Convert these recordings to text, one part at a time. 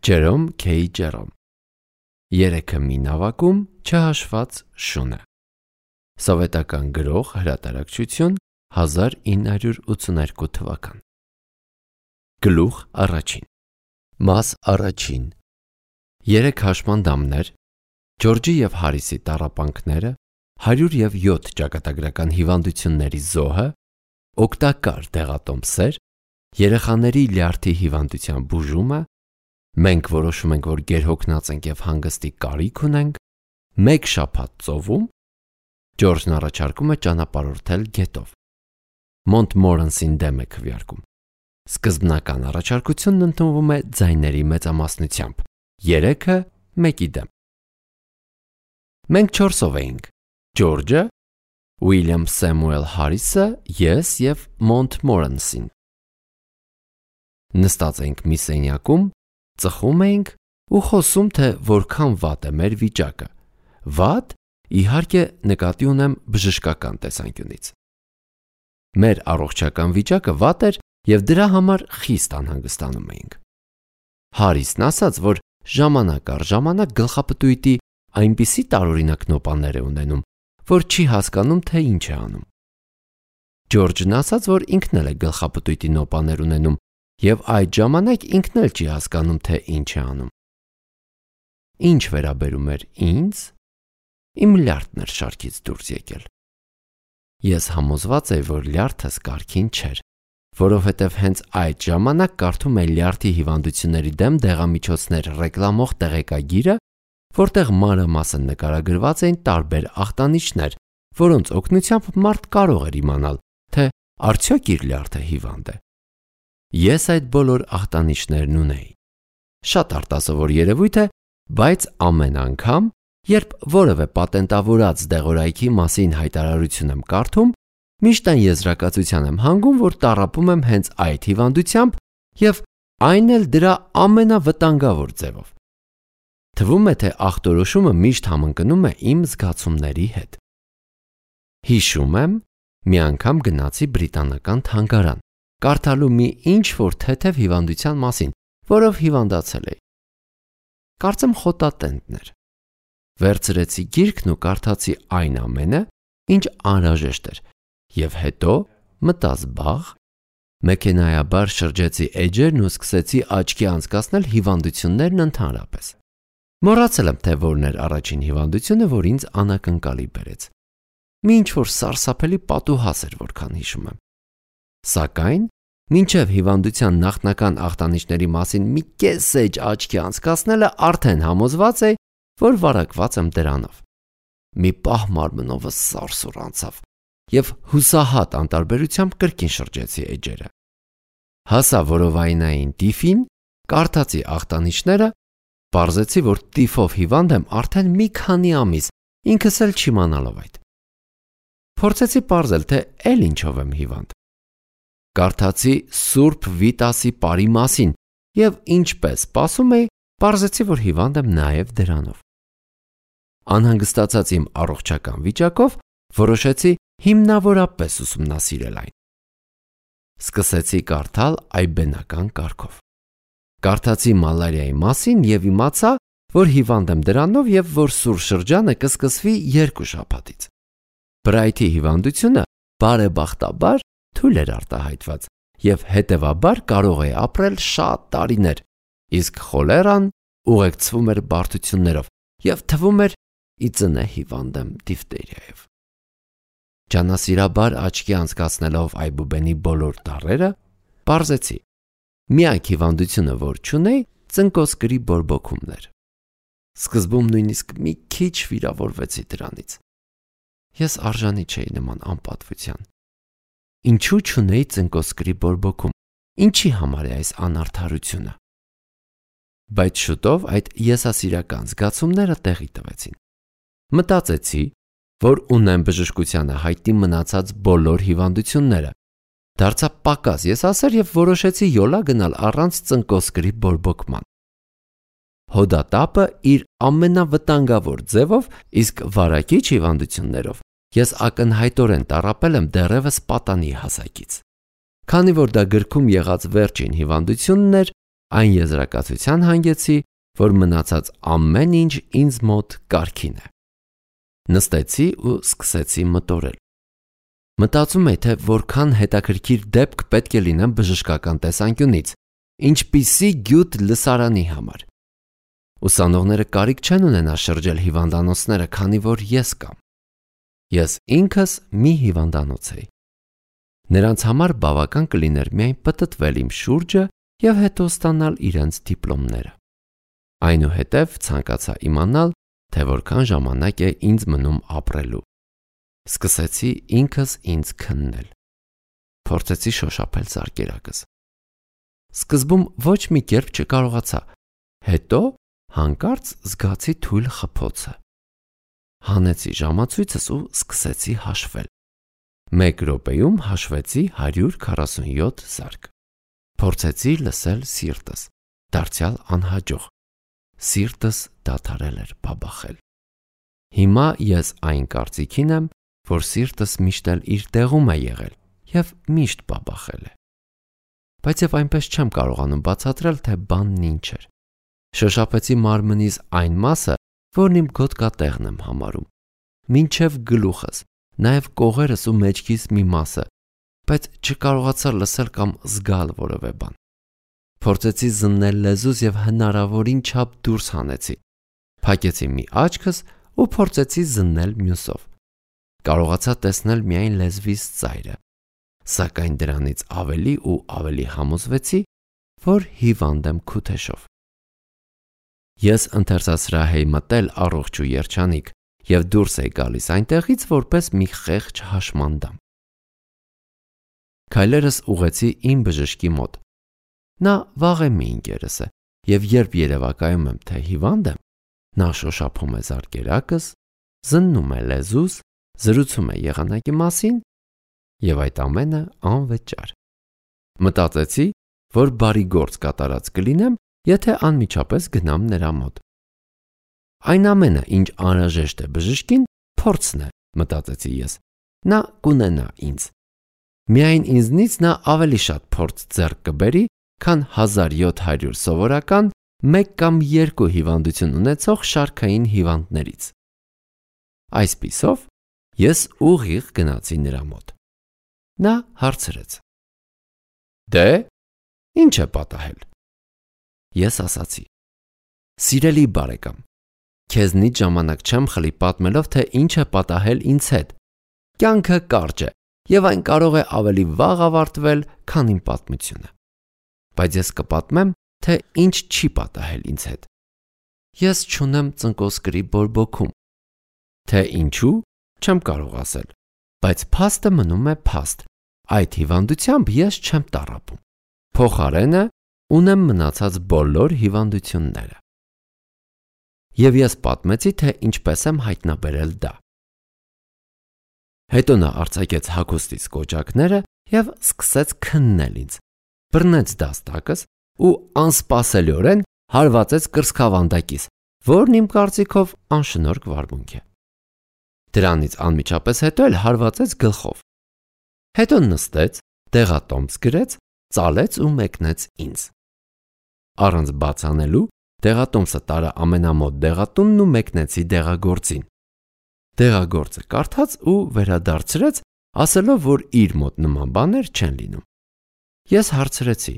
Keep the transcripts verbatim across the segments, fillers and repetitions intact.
Ջերոմ Քեյ Ջերոմ Երեքը մի նավակում չհաշված շունը Սովետական գրող հրատարակչություն հազար ինը հարյուր ութսուներկու թվական Գլուխ առաջին Մաս առաջին Երեք հաշմանդամներ Ջորջի և Հարիսի տառապանքները հարյուր և յոթ ճակատագրական հիվանդությունների զոհը օգտակար դեղատոմսեր երեխաների լյարդի հիվանդության բուժումը Մենք որոշում ենք, որ գերհոգնած ենք և հանգստի կարիք ունենք, մեկ շաբաթ ծովում, Ջորջն առաջարկում է ճանապարհորդել գետով։ Մոնտմորենսին դեմ է քվեարկում։ Սկզբնական առաջարկությունն ընդունվում է ձայների մեծամասնությամբ, երեքը մեկի դեմ։ Մենք չորսով էինք՝ Ջորջը, Ուիլյամ Սեմուել Հարիսը, ես և Մոնտմորենսին։ Նստած էինք մի սենյակում, ծխում էինք ու խոսում, թե որքան վատ է մեր վիճակը։ Վատ, իհարկե, նկատի ունեմ բժշկական տեսանկյունից։ Մեր առողջական վիճակը վատ էր և դրա համար խիստ անհանգստանում էինք։ Հարիսն ասաց, որ ժամանակ առ ժամանակ գլխապտույտի այնպիսի տարօրինակ նոպաներ է ունենում, որ չի հասկանում, թե ինչ է անում։ Ջորջն ասաց, որ ինքն էլ է գլխապտույտի նոպաներ ունենում և այդ ժամանակ ինքն էլ չի հասկանում, թե ինչ է անում։ Ինչ վերաբերում էր ինձ, իմ լյարդն էր շարքից դուրս եկել։ Ես համոզված էի, որ լյարդս կարգին չէր, որովհետև հենց այդ ժամանակ կարդում էի լյարդի հիվանդությունների դեմ դեղամիջոցներ ռեկլամող տեղեկագիրը, որտեղ մանրամասն նկարագրված էին տարբեր ախտանիշներ, որոնց օգնությամբ մարդ կարող էր իմանալ, թե արդյոք իր լյարդը հիվանդ է։ Ես այդ բոլոր ախտանիշներն ունեի։ Շատ արտասովոր երևույթ է, բայց ամեն անգամ, երբ որևէ պատենտավորած դեղորայքի մասին հայտարարություն եմ կարդում, միշտ այն եզրակացության եմ հանգում, որ տառապում եմ հենց այդ հիվանդությամբ և այն էլ դրա ամենավտանգավոր ձևով։ Թվում է, թե ախտորոշումը միշտ համընկնում է իմ զգացումների հետ։ Հիշում եմ, մի անգամ գնացի բրիտանական թանգարան, կարդալու մի ինչ-որ թեթև հիվանդության մասին, որով հիվանդացել էի։ Կարծեմ խոտատենտն էր։ Վերցրեցի գիրքն ու կարդացի այն ամենը, ինչ անհրաժեշտ էր, և հետո մտա զբաղ, մեքենայաբար շրջեցի էջերն ու սկսեցի աչքի անցկացնել հիվանդություններն ընդհանրապես։ Մոռացել եմ, թե որն էր առաջին հիվանդությունը, որ ինձ անակնկալի բերեց։ Մի ինչ-որ սարսափելի պատուհաս էր, որքան հիշում եմ։ Սակայն, մինչև հիվանդության նախնական ախտանիշների մասին մի կես էջ աչքի անցկացնելը արդեն համոզված էի, որ վարակված եմ դրանով։ Մի պահ մարմնովս սարսուռ անցավ և հուսահատ անտարբերությամբ կրկին շրջեցի էջերը։ Հասա որովայնային տիֆին, կարդացի ախտանիշները, պարզեցի, որ տիֆով հիվանդ եմ արդեն մի քանի ամիս, ինքս էլ չիմանալով այդ։ Փորձեցի պարզել, թե էլ ինչով եմ հիվանդ։ Կարդացի Սուրբ Վիտասի պարի մասին և ինչպես սպասում էի, պարզեցի, որ հիվանդ եմ նաև դրանով։ Անհանգստացած իմ առողջական վիճակով որոշեցի հիմնավորապես ուսումնասիրել այն։ Սկսեցի կարդալ այբենական կարգով։ Կարդացի մալարիայի մասին և իմացա, որ հիվանդ եմ դրանով և որ սուր շրջանը կսկսվի երկու շաբաթից։ Բրայթի հիվանդությունը բարեբախտաբար թույլ էր արտահայտված և հետևաբար կարող է ապրել շատ տարիներ, իսկ խոլերան ուղեկցվում էր բարդություններով և թվում էր ի ծնե հիվանդ եմ դիֆթերիայով։ Ջանասիրաբար աչքի անցկացնելով այբուբենի բոլոր տառերը, պարզեցի, միակ հիվանդությունը, որ չունեի, ծնկոսկրի բորբոքումն էր։ Սկզբում նույնիսկ մի քիչ վիրավորվեցի դրանից։ Ես արժանի չէի նման անպատվության։ Ինչու չունեի ծնկոսկրի բորբոքում, ինչի համար է այս անարդարությունը։ Բայց շուտով այդ եսասիրական զգացումները տեղի տվեցին։ Մտածեցի, որ ունեմ բժշկությանը հայտնի մնացած բոլոր հիվանդությունները, դարձա պակաս եսասեր և որոշեցի յոլա գնալ առանց ծնկոսկրի բորբոքման։ Հոդատապը իր ամենավտանգավոր ձևով, իսկ վարակիչ հիվանդություններով ես ակնհայտորեն տառապել եմ դեռևս պատանի հասակից։ Քանի որ դա գրքում եղած վերջին հիվանդությունն էր, Այն եզրակացության հանգեցի, որ մնացած ամեն ինչ ինձ մոտ կարգին է։ Նստեցի ու սկսեցի մտորել։ Մտածում էի, թե որքան հետաքրքիր դեպք պետք է լինեմ բժշկական տեսանկյունից, ինչպիսի գյուտ լսարանի համար։ Ուսանողները կարիք չեն ունենա շրջել հիվանդանոցները, քանի որ ես կամ։ Ես ինքս մի հիվանդանոց էի։ Նրանց համար բավական կլիներ միայն պտտվել իմ շուրջը և հետո ստանալ իրենց դիպլոմները։ Այնուհետև ցանկացա իմանալ, թե որքան ժամանակ է ինձ մնում ապրելու։ Սկսեցի ինքս ինձ քննել։ Փորձեցի շոշափել զարկերակս։ Սկզբում ոչ մի կերպ չկարողացա, հետո հանկարծ զգացի թույլ խփոցը։ Հանեցի ժամացույցս ու սկսեցի հաշվել։ Մեկ րոպեում հաշվեցի հարյուր քառասունյոթ զարկ։ Փորձեցի լսել սիրտս, դարձյալ անհաջող։ Սիրտս դադարել էր բաբախել։ Հիմա ես այն կարծիքին եմ, որ սիրտս միշտ էլ իր տեղում է եղել և միշտ բաբախել է։ Բայց և այնպես չեմ կարողանում բացատրել, թե բանն ինչ էր։ Շոշափեցի մարմնիս այն մասը, որն իմ գոտկատեղն եմ համարում, մինչև գլուխս, նաև կողերս ու մեջքիս մի մասը, բայց չկարողացա լսել կամ զգալ որևէ բան։ Փորձեցի զննել լեզուս և հնարավորին չափ դուրս հանեցի։ Փակեցի մի աչքս ու փորձեցի զննել մյուսով։ Կարողացա տեսնել միայն լեզվիս ծայրը, սակայն դրանից ավելի ու ավելի համոզվեցի, որ հիվանդ եմ քութեշով։ Ես ընթերցասրահ էի մտել առողջ ու երջանիկ և դուրս էի գալիս այնտեղից որպես մի խեղճ հաշմանդամ։ Քայլերս ուղղեցի իմ բժշկի մոտ։ Նա վաղեմի ընկերս է, և երբ երևակայում եմ, թե հիվանդ եմ, նա շոշափում է զարկերակս, զննում է լեզուս, զրուցում է եղանակի մասին և այդ ամենը անվճար։ Մտածեցի, որ բարի գործ կատարած կլինեմ, եթե անմիջապես գնամ նրա մոտ։ Այն ամենը, ինչ անհրաժեշտ է բժշկին, փորձն է, մտածեցի ես։ Նա կունենա ինձ։ Միայն ինձնից նա ավելի շատ փորձ ձեռք կբերի, քան հազար յոթ հարյուր սովորական, մեկ կամ երկու հիվանդություն ունեցող շարքային հիվանդներից։ Այսպիսով, ես ուղիղ գնացի նրա մոտ։ Նա հարցրեց. Դե, ինչ է պատահել։ Ես ասացի. Սիրելի բարեկամ, քեզնից ժամանակ չեմ խլի պատմելով, թե ինչ է պատահել ինձ հետ։ Կյանքը կարճ է, և այն կարող է ավելի վաղ ավարտվել, քան իմ պատմությունը։ Բայց ես կպատմեմ, թե ինչ չի պատահել ինձ հետ։ Ես չունեմ ծնկոսկրի բորբոքում։ Թե ինչու, չեմ կարող ասել, բայց փաստը մնում է փաստ։ Այդ հիվանդությամբ ես չեմ տառապում։ Փոխարենը ունեմ մնացած բոլոր հիվանդությունները։ Եվ ես պատմեցի, թե ինչպես եմ հայտնաբերել դա։ Հետո նա արձակեց հագուստից կոճակները և սկսեց քննել ինձ, բռնեց դաստակս ու անսպասելիորեն հարվածեց կրծքավանդակիս, որն իմ կարծիքով անշնորհք վարմունք է։ Դրանից անմիջապես հետո էլ հարվածեց գլխով։ Հետո նստեց, դեղատոմս գրեց, ծալեց ու մեկնեց ինձ։ Առանց բաց անելու դեղատոմսը տարա ամենամոտ դեղատունն ու մեկնեցի դեղագործին։ Դեղագործը կարդաց ու վերադարձրեց, ասելով, որ իր մոտ նման բաներ չեն լինում։ Ես հարցրեցի.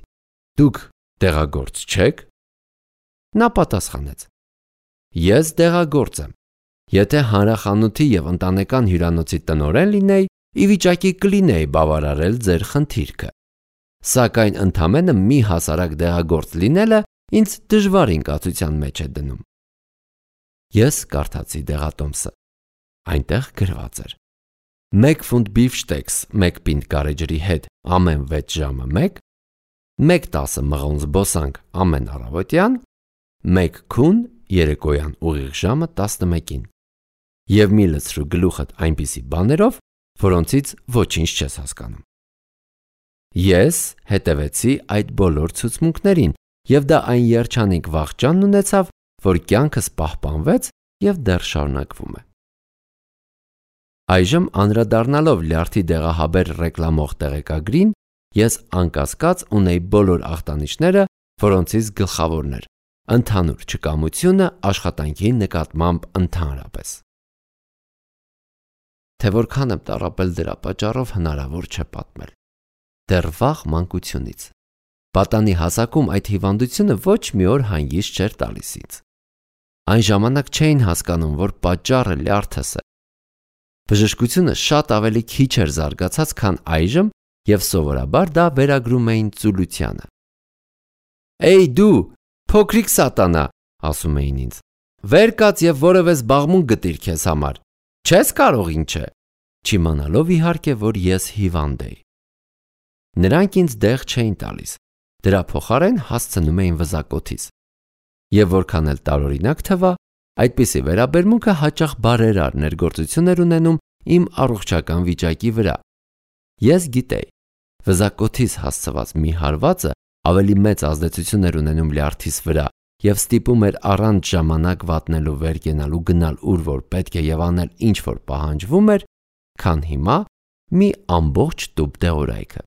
Դուք դեղագործ չեք։ Նա պատասխանեց. Ես դեղագործ եմ։ Եթե հանրախանութի և ընտանեկան հյուրանոցի տնօրեն լինեի, ի վիճակի կլինեի բավարարել ձեր խնդիրքը։ Սակայն ընդամենը մի հասարակ դեղագործ լինելը ինձ դժվար ինկացության մեջ է դնում։ Ես կարդացի դեղատոմսը։ Այնտեղ գրված էր. մեկ ֆունտ բիֆշտեքս մեկ պինդ գարեջրի հետ ամեն վեց ժամը մեկ, մեկ տասը մղոն զբոսանք ամեն առավոտյան, մեկ քուն երեկոյան ուղիղ ժամը տասնմեկին և մի լցրու գլուխդ այնպիսի բաներով, որոնցից ոչինչ չես հասկանում։ Ես հետևեցի այդ բոլոր ցուցմունքներին և դա այն երջանիկ վախճանն ունեցավ, որ կյանքս պահպանվեց և դեռ շարունակվում է։ Այժմ անդրադառնալով լյարդի դեղահաբեր ռեկլամող տեղեկագրին, ես անկասկած ունեի բոլոր ախտանիշները, որոնցից գլխավորն էր ընդհանուր չկամությունը աշխատանքի նկատմամբ ընդհանրապես։ Թե որքան եմ տառապել դրա պատճառով հնարավոր չէ պատմել։ Դեռ վաղ մանկությունից։ Պատանի հասակում այդ հիվանդությունը ոչ մի օր հանգիստ չէր տալիս ինձ։ Այն ժամանակ չէին հասկանում, որ պատճառը լյարդս է։ Բժշկությունը շատ ավելի քիչ էր զարգացած, քան այժմ, եւ սովորաբար դա վերագրում էին ծուլությանը։ «Էй դու, փոքրիկ սատանա», ասում էին ինձ, «վեր կաց եւ որևէ զբաղմունք գտիր քեզ համար։ Չես կարող ինչ է», չիմանալով իհարկե, որ ես հիվանդ էի։ Նրանք ինձ դեղ չէին տալիս, դրա փոխարեն հասցնում էին վզակոթիս։ Եվ որքան էլ տարօրինակ թվա, այդպիսի վերաբերմունքը հաճախ բարերար ներգործություն էր ունենում իմ առողջական վիճակի վրա։ Ես գիտեի, վզակոթիս հասցված մի հարվածը ավելի մեծ ազդեցություն էր ունենում լյարդիս վրա եւ ստիպում էր առանց ժամանակ վատնելու վեր կենալու գնալ ուր որ պետք է եւ անել ինչ որ պահանջվում էր, քան հիմա մի ամբողջ տուփ դեղորայքը։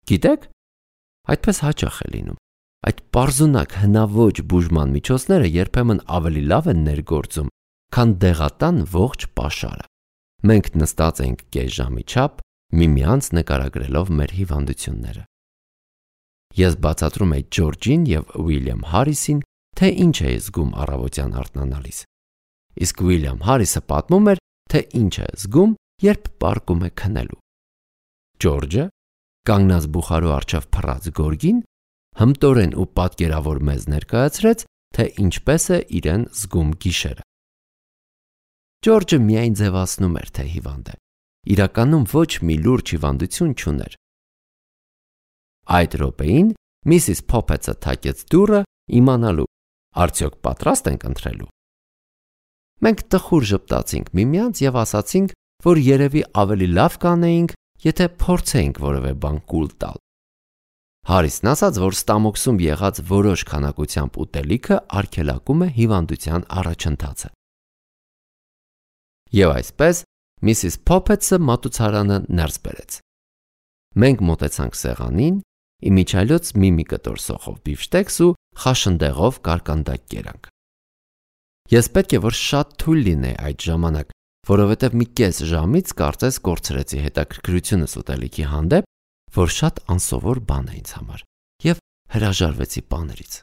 Գիտեք, այդպես հաճախ է լինում։ Այդ պարզունակ հնաոճ բուժման միջոցները երբեմն ավելի լավ են ներգործում, քան դեղատան ողջ պաշարը։ Մենք նստած ենք կես ժամի չափ, միմյանց նկարագրելով մեր հիվանդությունները։ Ես բացատրում էի Ջորջին եւ Ուիլյամ Հարիսին, թե ինչ է զգում առավոտյան արթնանալիս։ Իսկ Ուիլյամ Հարիսը պատմում էր, թե ինչ է զգում, երբ պառկում է քնելու։ Ջորջը, կանգնած բուխարու առջև փռած գորգին, հմտորեն ու պատկերավոր մեզ ներկայացրեց, թե ինչպես է իրեն զգում գիշերը։ Ջորջը միայն ձևացնում էր, թե հիվանդ է, իրականում ոչ մի լուրջ հիվանդություն չուներ։ Այդ րոպեին Միսիս Փոփեցը թակեց դուռը, իմանալու, արդյոք պատրաստ ենք ընթրելու։ Մենք տխուր ժպտացինք միմյանց եւ ասացինք, որ երևի ավելի լավ կանեինք, եթե փորձեինք որևէ բան կուլ տալ։ Հարիսն ասաց, որ ստամոքսում եղած որոշ քանակությամբ ուտելիքը արգելակում է հիվանդության առաջընթացը։ Եվ այսպես Միսիս Փոփեցը մատուցարանը ներս բերեց։ Մենք մոտեցանք սեղանին, իմիջիայլոց մի-մի կտոր սոխով բիֆշտեքս ու խաշնդեղով կարկանդակ կերանք։ Ես պետք է որ շատ թույլ լինեի այդ ժամանակ, որովհետև մի կես ժամից կարծես կորցրեցի հետաքրքրությունս ուտելիքի հանդեպ, որ շատ անսովոր բան է ինձ համար, եւ հրաժարվեցի բաներից։